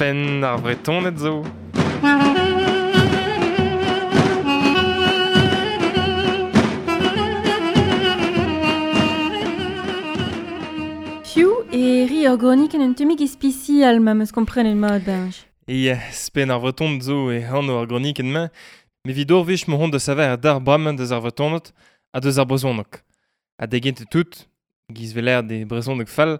Penn ar Vretoned zo. Piv e ri ur gronikenn un tammig ispisial ma 'm eus komprenet mat Benj. E spenn ar Vretoned zo e anv ar gronikenn-mañ, met evit ur wech m'hon da saver d'ar bremañ deus ar Vretoned ha deus ar brezhoneg. Ha da gentañ tout, giz 'vel e brezhoneg fall,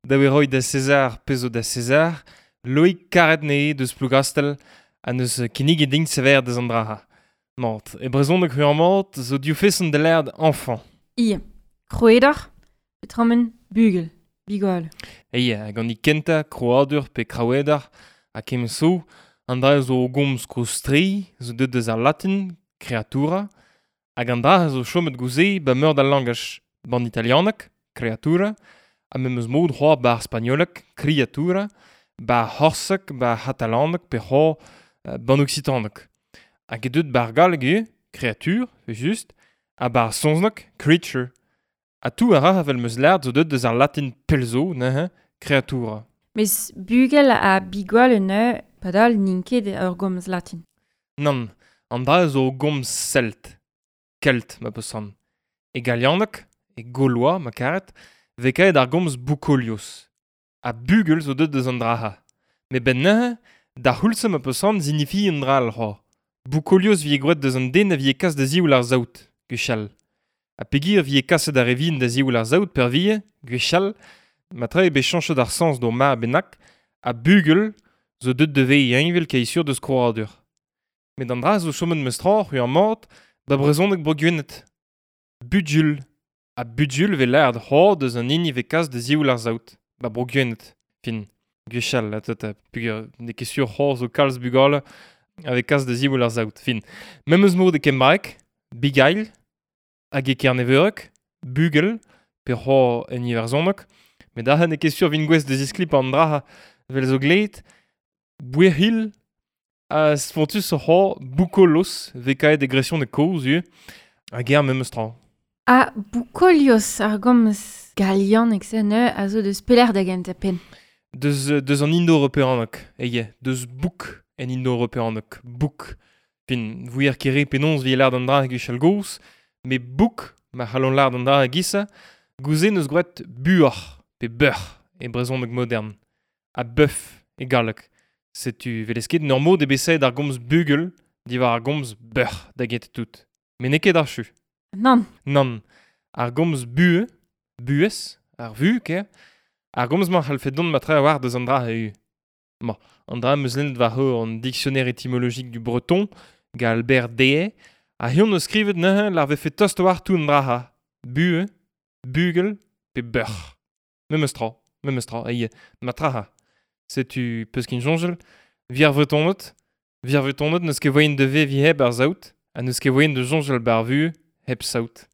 da eo roiñ da César pezh zo da César, Loïc karet anezhe deus Plougastell ha neus kinniget din sever deus an dra. Mat, e brezhoneg mat zo div feson da lâret enfant. Ia, krouedoc'h, petramen bugel, bigwal. Eia, hag an kentañ, krouadur pe kraouedoc'h, ha kement zo, an dra zo gomz kozh-tre, zo deuet deus ar latin, creatura, hag an dra zo chomet gouze ba meur da langaj, ban italianeg, creatura, ha memes mod c'hoazh ba ar spagnoleg, criatura, ba ar c'horseg, ba ar c'hatalaneg pe c'hoazh ban oksitaneg. Hag e deut ba ar galleg ivez, créature, just, ha ba ar saozneg, creature. Ha tout a ra evel 'm eus lâret zo deuet deus ar latin pell zo, neuze, creatura. Mes bugel ha bigwal neuze, padal n'int ket ur gomz latin. Nann, an dra zo gomz celt. Kelt, ma peus c'hoant. E galianeg, e gaulois, ma karet, vez kaet ar gomz boukolios. Ha bugel zo deuet deus an dra-ha. Met benn neuze, d'ar c'houlz ma peus c'hoant signifie un dra all c'hoazh. Boukolios vie gwraet deus an den a vie kas da ziwall ar saout, gwechall. Ha peogwir vie kaset ar re vihan da ziwall ar saout peurvuiañ, gwechall, matre eo bet chañchet ar sañs d'ur mare bennak, ha bugel zo deuet da vezañ heñvel kaezh-sur deus krouadur. Met an dra zo chomet memes tra, c'hwi ar mat, ba brezhoneg Bro-Gwened. Bugul. Ha bugul 'vez lâret c'hoazh deus an hini 'vez kas da ziwall ar saout, ba Bro-Gwened. Fin, gwechall, ata, peogwir n'eo ket sur c'hoazh zo kalz bugale a vez kas da ziwall ar saout. Fin, memes mod e kembraeg, bugail, hag e kerneveureg, bugel, pe c'hoazh en iwerzhoneg, met aze n'eo ket sur 'vin gouest da zisklipañ an dra 'vel zo gleet, bouec'hil, ha spontus c'hoazh boukolos 'vez kaet e gresianeg kozh ivez, hag eñ memes tra. Ha boukolios ar gomz galianeg-se neuze a zo deus pelec'h da gentañ penn. Deus, deus an indo-europeaneg, eie, deus bouk en indo-europeaneg, bouk. Fin, vouier ket re penaos 'vije lâret an dra gwechall gozh, met bouk, ma c'hallont lâret an dra e-giz-se, gouze 'neus gwraet buoc'h pe beuc'h e brezhoneg modern, ha bœuf e galleg. Setu 'welez ket en ur mod eo bet savet ar gomz bugel diwar ar gomz beuc'h da gentañ tout. Met n'eo ket achu. Nann. Nann. Ar gomz buhez, buhez, ar vu, ker, ar gomz-mañ c'hallfe dont matre a-walc'h deus an dra eo. Ma, an dra 'm eus lennet war an Dictionnaire étymologique du breton, gant Albert Deshaies, ha eñ 'neus skrivet neuze lar vefe tost a-walc'h tout an dra-ha. Buhez, bugel pe beuc'h. Memes tra, memes tra, eo, matre. Setu peus ket soñjal, 'vit ar Vretoned, 'vit ar Vretoned n'eus ket voaien da veviñ hep ar saout, ha n'eus ket voaien da soñjal 'ba ar vuhez hep saout.